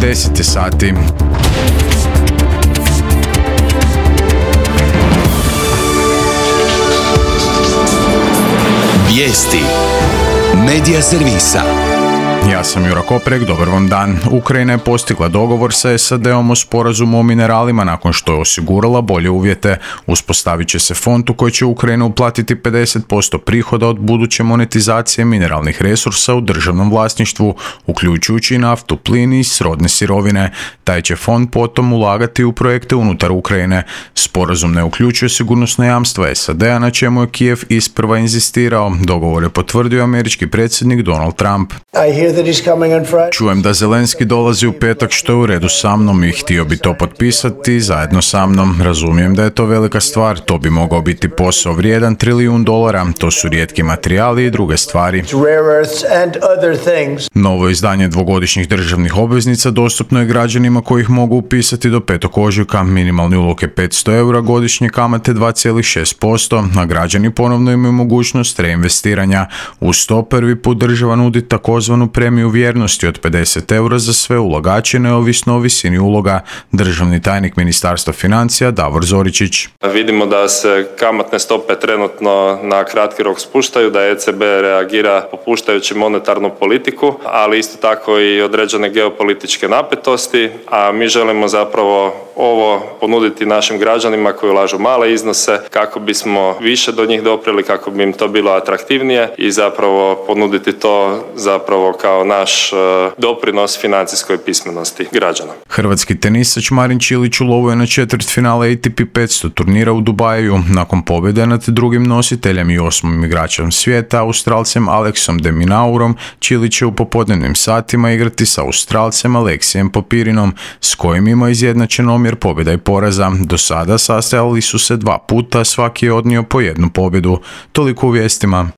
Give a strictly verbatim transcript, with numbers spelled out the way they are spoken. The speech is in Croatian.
deset sati. Vijesti Medija servisa. Ja sam Jura Koprek, dobar vam dan. Ukrajina je postigla dogovor sa S A D-om o sporazumu o mineralima nakon što je osigurala bolje uvjete. Uspostavit će se fond u koji će Ukrajina uplatiti pedeset posto prihoda od buduće monetizacije mineralnih resursa u državnom vlasništvu, uključujući naftu, plin i srodne sirovine. Taj će fond potom ulagati u projekte unutar Ukrajine. Sporazum ne uključuje sigurnosna jamstva S A D-a, na čemu je Kijev isprva inzistirao. Dogovor je potvrdio američki predsjednik Donald Trump. Čujem da Zelenski dolazi u petak, što je u redu sa mnom i htio bi to potpisati zajedno sa mnom. Razumijem da je to velika stvar, to bi mogao biti posao vrijedan trilijun dolara, to su rijetki materijali i druge stvari. Novo izdanje dvogodišnjih državnih obveznica dostupno je građanima koji ih mogu upisati do petog ožujka. Minimalni ulog je petsto eura, godišnje kamate dva zarez šest posto, a građani ponovno imaju mogućnost reinvestiranja. Uz to prvi put država nudi takozvanu premiju vjernosti od pedeset eura za sve ulagače, neovisno o visini uloga. Državni tajnik Ministarstva financija Davor Zoričić. Vidimo da se kamatne stope trenutno na kratki rok spuštaju, da E C B reagira popuštajući monetarnu politiku, ali isto tako i određene geopolitičke napetosti, a mi želimo zapravo ovo ponuditi našim građanima koji ulažu male iznose kako bismo više do njih doprili, kako bi im to bilo atraktivnije i zapravo ponuditi to zapravo kao naš doprinos financijskoj pismenosti građana. Hrvatski tenisač Marin Čilić ulovio na četvrtfinale A T P petsto turnira u Dubaju. Nakon pobjede nad drugim nositeljem i osmim igračem svijeta, Australcem Alexom de Minaurom, Čilić će u popodnevnim satima igrati sa Australcem Aleksijem Popirinom, s kojim ima izjednačen omjer pobjeda i poraza. Do sada sastajali su se dva puta, svaki je odnio po jednu pobjedu. Toliko u vijestima.